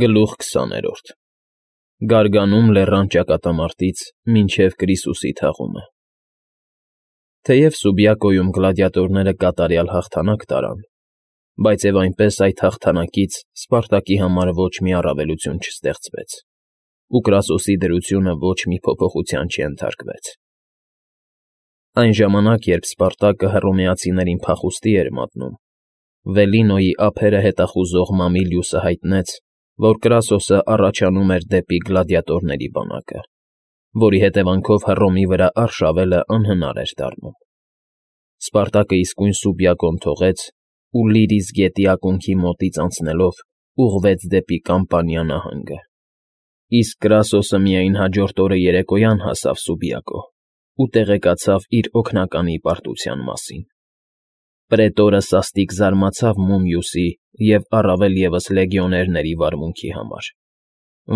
Գլուխ 20 Գարգանում լեռան ճակատամարտից մինչև Կրիսուսի թաղումը։ Թեև Սուբյակոյում գլադիատորները կատարյալ հաղթանակ տարան, բայց և այնպես այդ հաղթանակից Սպարտակի համար ոչ մի առավելություն չստեղծվեց, ու Կրասոսի դրությունը ոչ մի փոփոխության չենթարկվեց։ Այն ժամանակ, երբ Սպարտակը հռոմեացիներին փախուստի էր մատնում, Վելինոյի ափերը հետախուզող Մամիլիուսը հայտնեց, որ Կրասոսը առաջանում էր դեպի գլադիատորների բանակը, որի հետևանքով Հռոմի վրա արշավելը անհնար էր դառնում։ Սպարտակը իսկույն Սուբյակոն թողեց ու Լիրիս գետի ակունքի մոտից անցնելով ուղղվեց դեպի Կամպանիա նահանգը, իսկ Կրասոսը միայն հաջորդ օրը երեկոյան հասավ Սուբյակո ու տեղեկացավ իր օգնականի պարտության մասին։ Պրետորը սաստիկ զարմացավ Մումիուսի և առավել ևս լեգիոներների վարմունքի համար,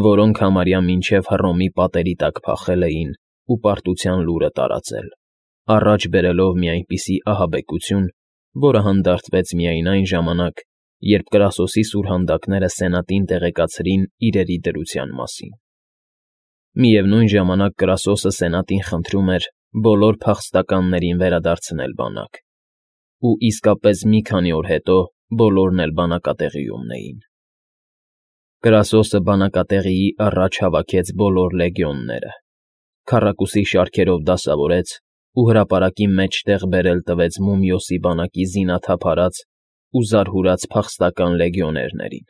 որոնք համարյա մինչև Հռոմի պատերի տակ փախել էին ու պարտության լուրը տարածել, առաջ բերելով մի այնպիսի ահաբեկություն, որը հանդարտվեց միայն այն ժամանակ, երբ Կրասոսի սուրհանդակները սենատին տեղեկացրին իրերի դրության մասին։ Միևնույն ժամանակ Կրասոսը սենատին խնդրում էր բոլոր փախստականներին վերադարձնել բանակ, ու իսկապես մի քանի օր հետո բոլորն էլ բանակատեղիումն էին։ Կրասոսը բանակատեղիի առաջ հավաքեց բոլոր լեգիոնները, քառակուսի շարքերով դասավորեց ու հրապարակի մեջտեղ բերել տվեց Մումիոսի բանակի զինաթափարած ու զարհուրած փախստական լեգիոներներին։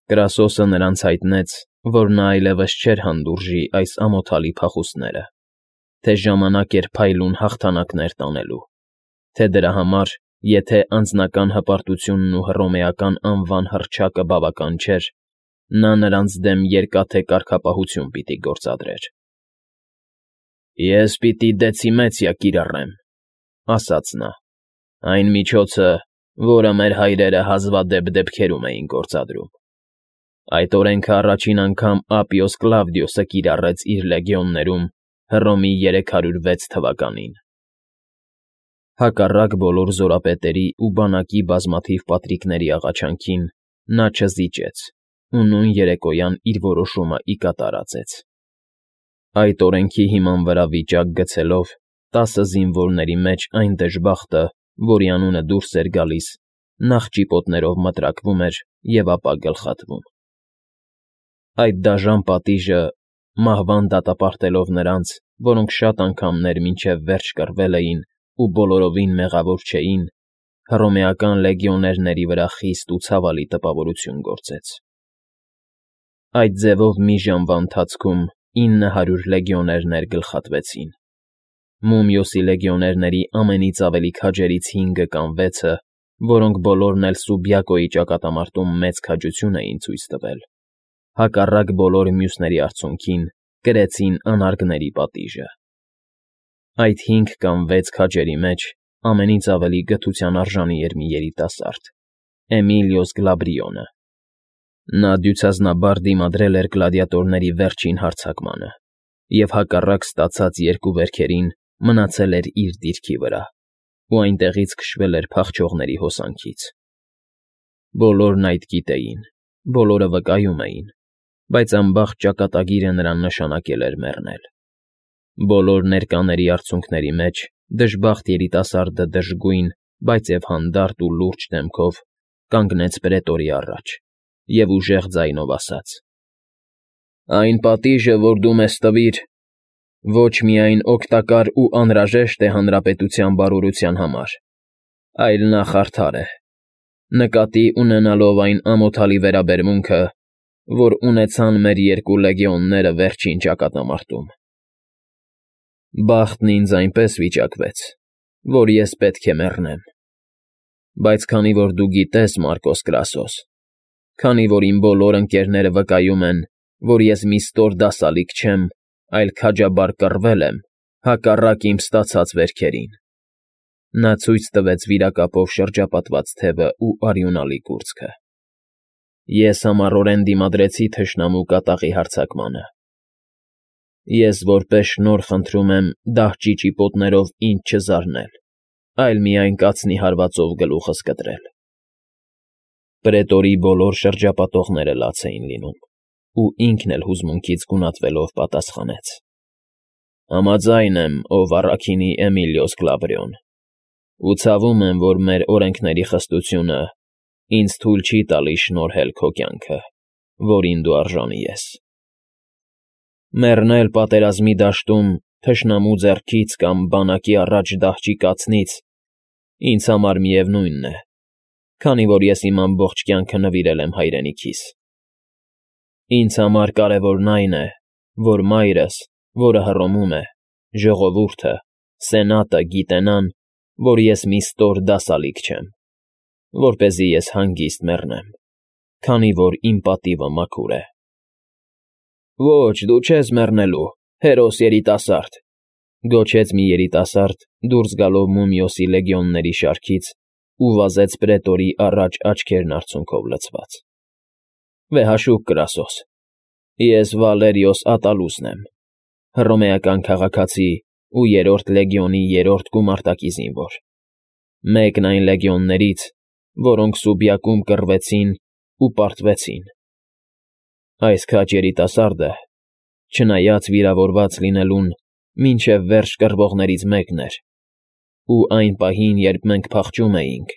Կրասոսը նրանց հայտնեց, որ նա այլևս չէր հանդուրժի այս ամոթալի փախուստները, թե ժամանակ էր փայլուն հաղթանակներ տանելու, թե դրա համար, եթե անձնական հպարտությունն ու հռոմեական անվան հռչակը բավական չէր, նա նրանց դեմ երկաթե կարգապահություն պիտի գործադրեր։ «Ես պիտի դեցիմեցիա կիրառեմ,֊ ասաց նա,֊ այն միջոցը, որը մեր հայրերը հազվադեպ դեպքերում էին գործադրում։ Այդ օրենքը առաջին անգամ Ապիոս Կլավդիոսը կիրառեց իր լեգիոններում Հռոմի 306 թվականին»։ Հակառակ բոլոր զորապետերի ու բանակի բազմաթիվ պատրիկների աղաչանքին նա չզիջեց ու նույն երեկոյան իր որոշումը ի կատար ածեց։ Այդ օրենքի հիման վրա վիճակ գցելով 10 զինվորների մեջ այն դժբախտը, որի անունը դուրս էր գալիս, նախ ճիպոտներով մտրակվում էր և ապա գլխատվում։ Այդ դաժան պատիժը, մահվան դատապարտելով նրանց, որոնք շատ անգամներ մինչև վերջ կռվել էին ու բոլորովին մեղավոր չէին, հռոմեական լեգիոներների վրա խիստ ու ցավալի տպավորություն գործեց։ Այդ ձևով մի ժամվա ընթացքում 900 լեգիոներներ գլխատվեցին։ Մումիոսի լեգիոներների ամենից ավելի քաջերից 5-ը կամ 6-ը, որոնք բոլորն էլ Սուբյակոյի ճակատամարտում մեծ քաջություն էին ցույց տվել, հակառակ բոլոր մյուսների արցունքին կրեցին անարգների պատիժը։ Այդ 5 կամ 6 քաջերի մեջ ամենից ավելի գթության արժանի էր մի երիտասարդ՝ Էմիլիոս Գլաբրիոնը։ Նա դյուցազնաբար դիմադրել էր գլադիատորների վերջին հարձակմանը և հակառակ ստացած 2 վերքերին մնացել էր իր դիրքի վրա ու այնտեղից քշվել էր փախչողների հոսանքից։ Բոլորն այդ գիտեին, բոլորը վկայում էին, բայց անբախտ ճակատագիրը նրան նշանակել էր մեռնել։ Բոլոր ներկաների արցունքների մեջ դժբախտ երիտասարդը դժգույն, բայց և հանդարտ ու լուրջ դեմքով կանգնեց պրետորի առաջ և ուժեղ ձայնով ասաց. «Այն պատիժը, որ դու մեզ տվիր, ոչ միայն օգտակար ու անհրաժեշտ է հանրապետության բարօրության համար, այլ նախ արդար է, նկատի ունենալով այն ամոթալի վերաբերմունքը, որ ունեցան մեր 2 լեգիոնները վերջին ճակատամարտում։ Բախտն ինձ այնպես վիճակվեց, որ ես պետք է մեռնեմ։ Բայց քանի որ դու գիտես, Մարկոս Կրասոս, քանի որ իմ բոլոր ընկերները վկայում են, որ ես մի ստոր դասալիկ չեմ, այլ քաջաբար կռվել եմ, հակառակ իմ ստացած վերքերին…» Նա ցույց տվեց վիրակապով շրջապատված թևը ու արյունալի կուրծքը։ «Ես համառորեն դիմադրեցի թշնամու կատաղի հարձակմանը։ Ես որպես շնորհ խնդրում եմ դահճի ճիպոտներով ինձ չզարնել, այլ միայն կացնի հարվածով գլուխս կտրել»։ Պրետորի բոլոր շրջապատողները լաց էին լինում, ու ինքն էլ հուզմունքից գունատվելով պատասխանեց. Համաձայն եմ, ով առաքինի Էմիլիոս Գլաբրիոն, ու ցավում եմ, որ մեր օրենքների խստությունը ինձ թույլ չի տալիս շնորհել քո կյանքը, որին դու արժանի ես։ Մեռնել պատերազմի դաշտում թշնամու ձեռքից կամ բանակի առաջ դահճի կացնից ինձ համար միևնույնն է, քանի որ ես իմ ամբողջ կյանքը նվիրել եմ հայրենիքիս։ Ինձ համար կարևորն այն է, որ մայրս, որը Հռոմում է, ժողովուրդը, սենատը գիտենան, որ ես մի ստոր դասալիկ չեմ, որպեսզի ես հանգիստ մեռնեմ, քանի որ իմ պատիվը մաքուր է։ Ոչ, դու չես մեռնելու, հերոս երիտասարդ, գոչեց մի երիտասարդ, դուրս գալով Մումիոսի լեգիոնների շարքից ու վազեց պրետորի առաջ աչքերն արցունքով լցված։ Վեհաշուկ Կրասոս, ես Վալերիոս Ատալուսն եմ, հռոմեական քաղաքացի ու 3-րդ լեգիոնի 3-րդ գումարտակի զինվոր, մեկն այն լեգիոններից, որոնք Սուբիակում կռվեցին ու պարտվեցին։ Այս քաջ երիտասարդը, չնայած վիրավորված լինելուն, մինչև վերջ կռվողներից մեկն էր, ու այն պահին, երբ մենք փախչում էինք,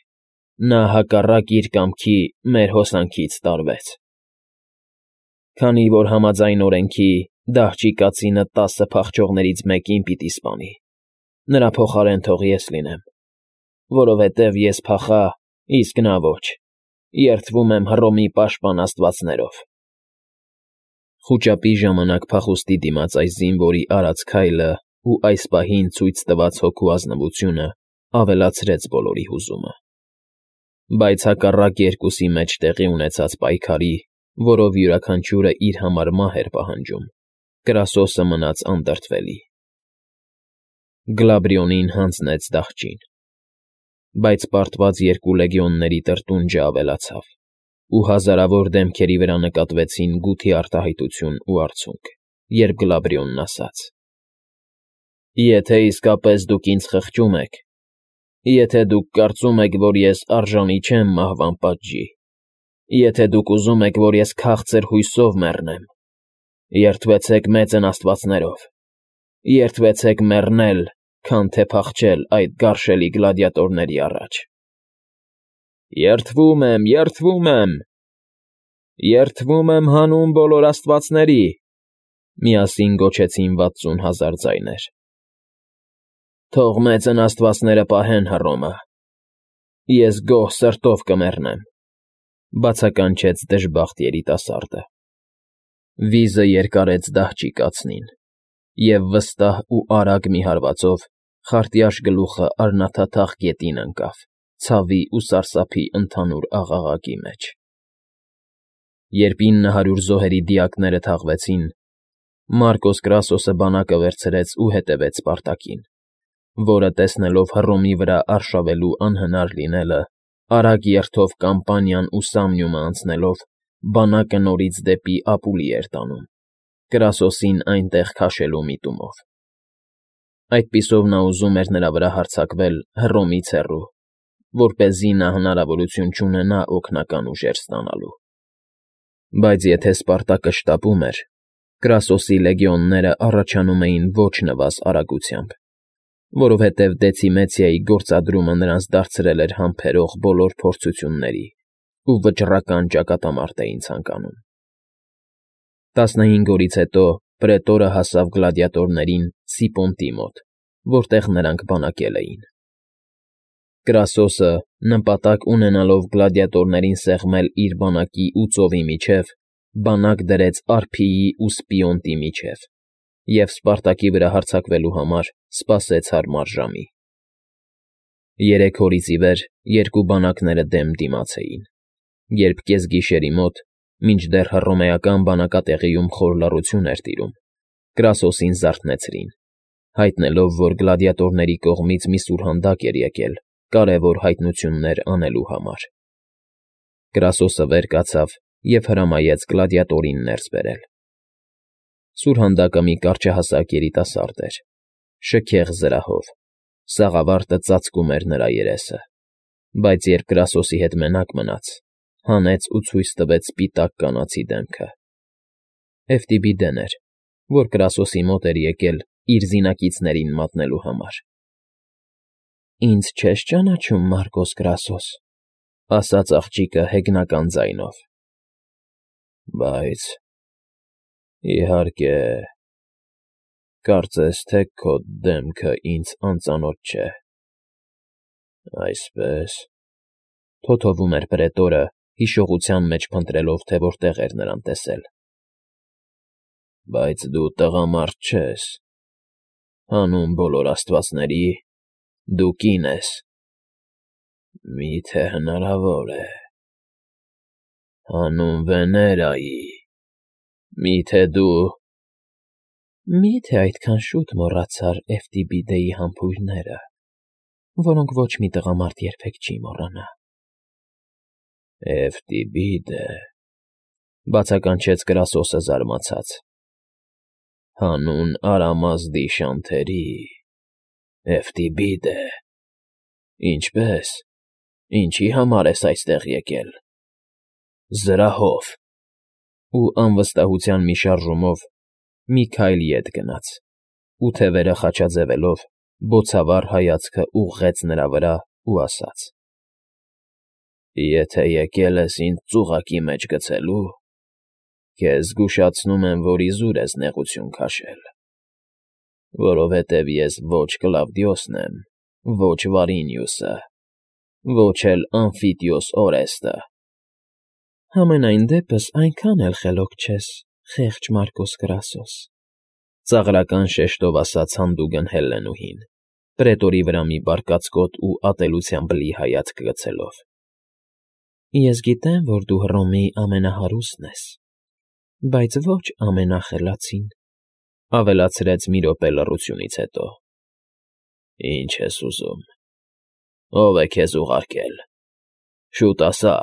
նա հակառակ իր կամքի մեր հոսանքից տարվեց։ Քանի որ համաձայն օրենքի դահճի կացինը 10 փախչողներից մեկին պիտի սպանի, նրա փոխարեն թող ես լինեմ, որովհետև ես փախա, իսկ նա ոչ, երդվում եմ Հռոմի պաշտպան աստվածներով։ Խուճապի ժամանակ փախուստի դիմաց այս զինվորի արած քայլը ու այս պահին ցույց տված հոգու ազնվությունը ավելացրեց բոլորի հուզումը։ Բայց հակառակ երկուսի մեջ տեղի ունեցած պայքարի, որով յուրաքանչյուրը իր համար մահ էր պահանջում, Կրասոսը մնաց անդրդվելի։ Գլաբրիոնին հանձնեց դահճին, բայց պարտված 2 լեգիոնների տրտունջը ավելացավ, ու հազարավոր դեմքերի վրա նկատվեցին գութի արտահայտություն ու արցունք, երբ Գլաբրիոնն ասաց. Եթե իսկապես դուք ինձ խղճում եք, եթե դուք կարծում եք, որ ես արժանի չեմ մահվան պատժի, եթե դուք ուզում եք, որ ես քաղցր հույսով մեռնեմ, երդվեցեք մեծն աստվածներով, երդվեցեք մեռնել, քան թե փախչել այդ գարշելի գլադիատորների առաջ։ Երդվում եմ, երդվում եմ, երդվում եմ հանուն բոլոր աստվածների, միասին գոչեցին 60,000 ձայներ։ Թող մեծն աստվածները պահեն Հռոմը, ես գոհ սրտով կմեռնեմ, բացականչեց դժբախտ երիտասարդը։ Վիզը երկարեց դահճի կացնին, և վստահ ու արագ մի հարվածով խարտյաշ գլուխը արնաթաթախ գետին ընկավ, ցավի ու սարսափի ընդհանուր աղաղակի մեջ։ Երբ 900 զոհերի դիակները թաղվեցին, Մարկոս Կրասոսը բանակը վերցրեց ու հետևեց Սպարտակին, որը, տեսնելով Հռոմի վրա արշավելու անհնար լինելը, արագ երթով Կամպանիան ու Սամնիումը անցնելով, բանակը նորից դեպի Ապուլի էր տանում, Կրասոսին այնտեղ քաշելու միտումով։ Այդպիսով նա ուզում էր նրա վրա հարձակվել Հռոմից հեռու, որպեսզի նա հնարավորություն չունենա օգնական ուժեր ստանալու։ Բայց եթե Սպարտակը շտապում էր, Կրասոսի լեգիոնները առաջանում էին ոչ նվազ արագությամբ, որովհետև Դեցիմեցիայի գործադրումը նրանց դարձրել էր համբերող բոլոր փորձությունների ու վճռական ճակատամարտ էին ցանկանում։ 15 օրից հետո պրետորը հասավ գլադիատորներին Սիպոնտի մոտ, որտեղ նրանք բանակել էին։ Կրասոսը, նպատակ ունենալով գլադիատորներին սեղմել իր բանակի ու ծովի միջև, բանակ դրեց Արփիի ու Սպիոնտի միջև և Սպարտակի վրա հարձակվելու համար սպասեց հարմար ժամի։ 3 օրից ի վեր երկու բանակները դեմ դիմաց էին, երբ կեսգիշերի մոտ, մինչդեռ հռոմեական բանակատեղիում խոր լռություն էր տիրում, Կրասոսին զարթնեցրին, հայտնելով, որ գլադիատորների կողմից մի սուրհանդակ էր եկել կարևոր հայտնություններ անելու համար։ Կրասոսը վեր կացավ և հրամայեց գլադիատորին ներս բերել։ Սուրհանդակը մի կարճահասակ երիտասարդ էր, շքեղ զրահով, սաղավարտը ծածկում էր նրա երեսը, բայց երբ Կրասոսի հետ մենակ մնաց, հանեց ու ցույց տվեց սպիտակ կանացի դեմքը։ Էֆտիբիդեն էր, որ Կրասոսի մոտ էր եկել իր զինակիցներին մատնելու համար։ «Ինձ չես ճանաչում, Մարկոս Կրասոս,֊ ասաց աղջիկը հեգնական ձայնով։ Բայց, իհարկե, կարծես թե քո դեմքը ինձ անծանոթ չէ, այսպես,֊ թոթովում էր պրետորը, հիշողության մեջ փնտրելով, թե որտեղ էր նրան տեսել։ Բայց դու տղամարդ չես, հանուն բոլոր աստվածների, դու կին ես։ Մի՞թե հնարավոր է… Հանուն Վեներայի, մի՞թե դու… Մի՞թե այդքան շուտ մոռացար Էֆտիբիդեի համբույրները, որոնք ոչ մի տղամարդ երբեք չի մոռանա։ Էֆտիբիդե…֊ բացականչեց Կրասոսը զարմացած։ Հանուն Արամազդի շանթերի, Էֆտիբիդե… Ինչպե՞ս, ինչի համար ես այստեղ եկել… Զրահով… Ու անվստահության մի շարժումով մի քայլ ետ գնաց ու, թևերը խաչաձևելով, բոցավառ հայացքը ուղղեց նրա վրա ու ասաց. Եթե եկել ես ինձ ծուղակի մեջ գցելու, քեզ զգուշացնում եմ, որ իզուր ես նեղություն քաշել, որովհետև ես ոչ Կլավդիոսն եմ, ոչ Վարինիուսը, ոչ էլ Ամֆիտիոս Օրեստը։ Համենայն դեպս այնքան էլ խելոք չես, խեղճ Մարկոս Կրասոս,֊ ծաղրական շեշտով ասաց հանդուգն Հելլենուհին, պրետորի վրա մի բարկացկոտ ու ատելությամբ լի հայացք գցելով։ Ես գիտեմ, որ դու Հռոմի ամենահարուստն ես, բայց ոչ ամենախելացին,֊ ավելացրեց մի րոպե լռությունից հետո։ Ինչ ես ուզում… Ո՞վ է քեզ ուղարկել… Շուտ ասա…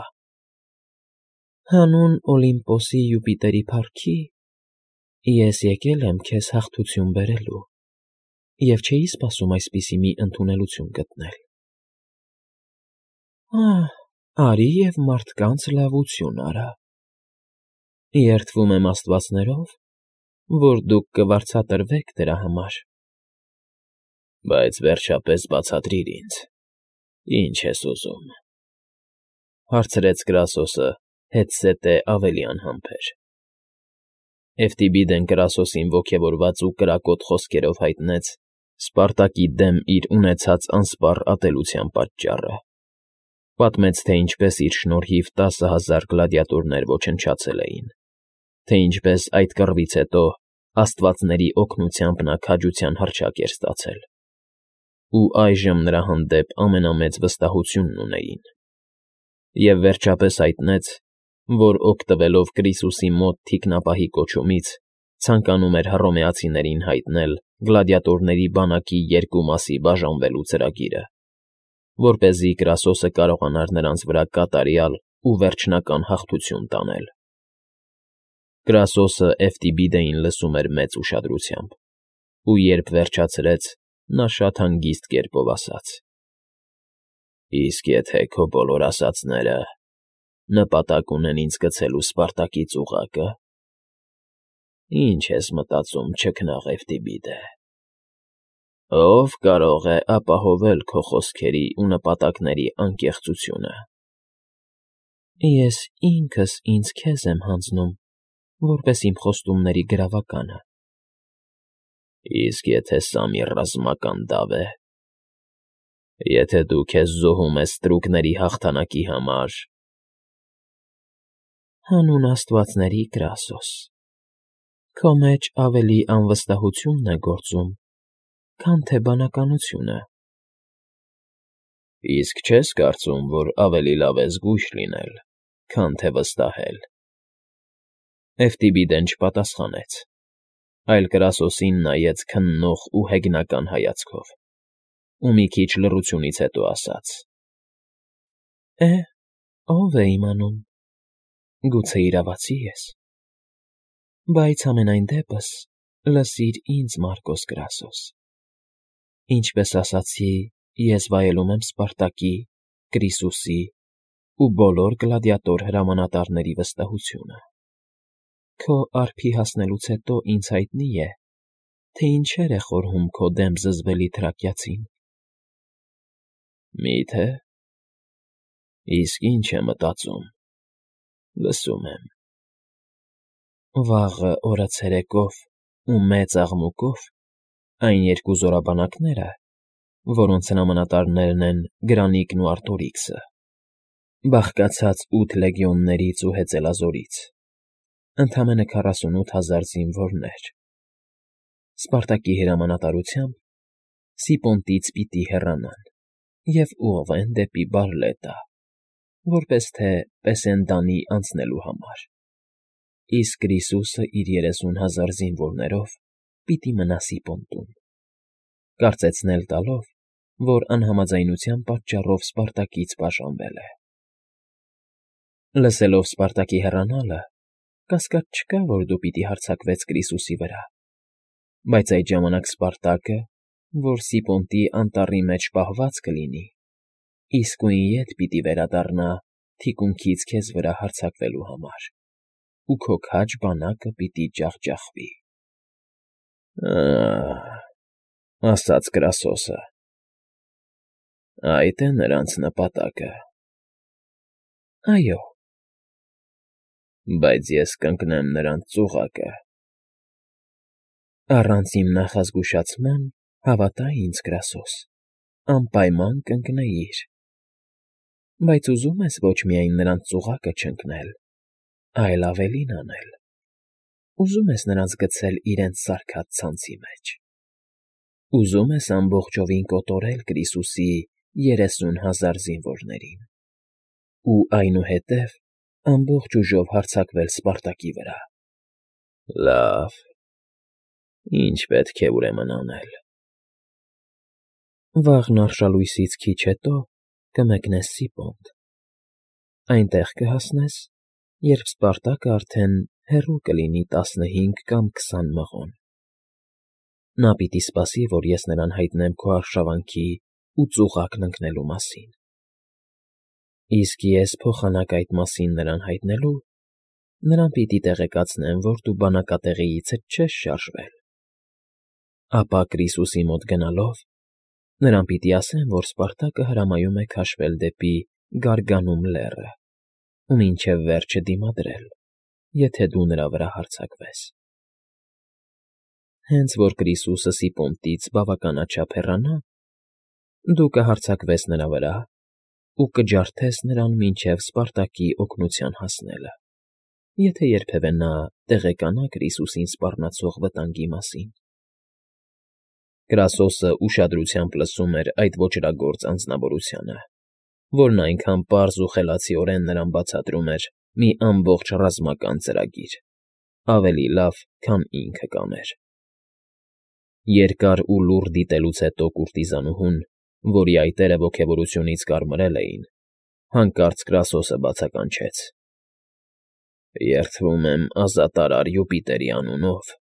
Հանուն Օլիմպոսի Յուպիտերի փառքի, ես եկել եմ քեզ հաղթություն բերելու և չէի սպասում այսպիսի մի ընդունելություն գտնել։ Արի և մարդկանց լավություն արա… Երդվում եմ աստվածներով, որ դուք կվարձատրվեք դրա համար։ Բայց վերջապես բացատրիր ինձ, ինչ ես ուզում,֊ հարցրեց Կրասոսը հետզհետե ավելի անհամբեր։ Էֆտիբիդեն Կրասոսին ոգևորված ու կրակոտ խոսքերով հայտնեց Սպարտակի դեմ իր ունեցած անսպառ ատելության պատճառը, պատմեց, թե ինչպես իր շնորհիվ 10,000 գլադիատորներ ոչնչացել էին, թե ինչպես այդ կռվից հետո աստվածների օգնությամբ նա քաջության հռչակ էր ստացել, ու այժմ նրա հանդեպ ամենամեծ վստահությունն ունեին, և վերջապես հայտնեց, որ օգտվելով Կրիսուսի մոտ թիկնապահի կոչումից, ցանկանում էր հռոմեացիներին հայտնել գլադիատորների բանակի երկու մասի բաժանվելու ծրագիրը, որպեսզի Կրասոսը կարողանար նրանց վրա կատարյալ ու վերջնական հաղթություն տանել։ Կրասոսը Էֆտիբիդեին լսում էր մեծ ուշադրությամբ, ու երբ վերջացրեց, նա շատ հանգիստ կերպով ասաց. Իսկ եթե քո բոլոր ասածները նպատակ ունեն ինձ գցելու Սպարտակի ծուղակը, ի՞նչ ես մտածում, չքնաղ Էֆտիբիդե… Ո՞վ կարող է ապահովել քո խոսքերի ու նպատակների անկեղծությունը։ Ես ինքս ինձ քեզ եմ հանձնում, որպես իմ խոստումների գրավականը։ Իսկ եթե սա մի ռազմական դավ է… Եթե դու քեզ զոհում ես ստրուկների հաղթանակի համար… Հանուն աստվածների, Կրասոս, քո մեջ ավելի անվստահությունն է գործում, քան թե բանականությունը։ Իսկ չես կարծում, որ ավելի լավ է զգույշ լինել, քան թե վստահել։ Էֆտիբիդեն չպատասխանեց, այլ Կրասոսին նայեց քննող ու հեգնական հայացքով, ու մի քիչ լռությունից հետո ասաց. Ո՞վ է իմանում, գուցե իրավացի ես… Բայց համենայն դեպս լսիր ինձ, Մարկոս Կրասոս, ինչպես ասացի, ես վայելում եմ Սպարտակի, Կրիսուսի ու բոլոր գլադիատոր հրամանատարների վստահությունը։ Քո արփի հասնելուց հետո ինձ հայտնի է, թե ինչեր է խորհում քո դեմ զզվելի թրակյացին։ Մի՞թե։ Իսկ ինչ է մտածում։ Լսում եմ։ Վաղը օրը ցերեկով ու մեծ աղմուկով այն երկու զորաբանակները, որոնց հրամանատարներն են Գրանիկն ու Արտորիքսը, բաղկացած 8 լեգիոններից ու հեծելազորից, ընդամենը 48,000 զինվորներ, Սպարտակի հրամանատարությամբ Սիպոնտից պիտի հեռանան և ուղղվեն դեպի Բարլետա, որպես թե Պեսենդանի անցնելու համար, իսկ Կրիսուսը իր 30,000 զինվորներով պիտի մնա Սիպոնտում, կարծեցնել տալով, որ անհամաձայնության պատճառով Սպարտակից բաժանվել է։ Լսելով Սպարտակի հեռանալը, կասկած չկա, որ դու պիտի հարձակվես Կրիսուսի վրա, բայց այդ ժամանակ Սպարտակը, որ Սիպոնտի անտառի մեջ պահված կլինի, իսկույն ետ պիտի վերադառնա թիկունքից քեզ վրա հարձակվելու համար, ու քո քաջ բանակը պիտի ջախջախվի։ Ասաց Կրասոսը։ Այդ է նրանց նպատակը։ Այո։ Բայց ես կընկնեմ նրանց ծուղակը։ Առանց իմ նախազգուշացման, հավատա ինձ, Կրասոս, անպայման կընկնեիր։ Բայց ուզում ես ոչ միայն նրանց ծուղակը չընկնել, այլ ավելին անել։ Ուզում ես նրանց գցել իրենց սարքած ցանցի մեջ։ Ուզում ես ամբողջովին կոտորել Կրիսուսի 30,000 զինվորներին ու այնուհետև ամբողջ ուժով հարձակվել Սպարտակի վրա։ Լավ, ինչ պետք է ուրեմն անել։ Վաղն արշալույսից քիչ հետո կմեկնես Սիպոնտ։ Այնտեղ կհասնես, երբ Սպարտակը արդեն հեռու կլինի 15 կամ 20 մղոն։ Նա պիտի սպասի, որ ես նրան հայտնեմ քո արշավանքի ու ծուղակն ընկնելու մասին։ Իսկ ես փոխանակ այդ մասին նրան հայտնելու, նրան պիտի տեղեկացնեմ, որ դու բանակատեղիիցդ չես շարժվել։ Ապա Կրիսուսի մոտ գնալով, նրան պիտի ասեմ, որ Սպարտակը հրամայում է քաշվել դեպի Գարգանում լեռը ու մինչև վերջը դիմադրել, եթե դու նրա վրա հարձակվես։ Հենց որ Կրիսուսը Սիպոնտից բավականաչափ հեռանա, դու կհարձակվես նրա վրա ու կջարդես նրան մինչև Սպարտակի օգնության հասնելը, եթե երբևէ նա տեղեկանա Կրիսուսին սպառնացող վտանգի մասին։ Կրասոսը ուշադրությամբ լսում էր այդ ոճրագործ անձնավորությանը, որն այնքան պարզ ու խելացիորեն նրան բացատրում էր մի ամբողջ ռազմական ծրագիր, ավելի լավ, քան ինքը կաներ։ Երկար ու լուռ դիտելուց հետո կուրտիզանուհուն, որի այտերը ոգևորությունից կարմրել էին, հանկարծ Կրասոսը բացականչեց. Երդվում եմ ազատարար Յուպիտերի անունով,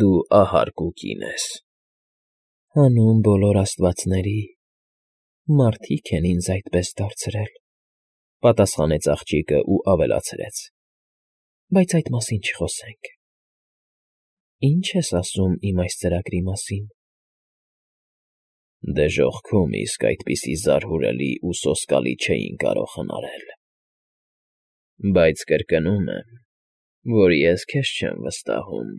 դու ահարկ ու կին ես։ Հանուն բոլոր աստվածների, մարդիկ են ինձ այդպես դարձրել, պատասխանեց աղջիկը ու ավելացրեց. Բայց այդ մասին չխոսենք։ Ինչ ես ասում իմ այս ծրագրի մասին։ Դժոխքում իսկ այդպիսի զարհուրելի ու սոսկալի չէին կարող հնարել։ Բայց կրկնում եմ, որ ես քեզ չեմ վստահում։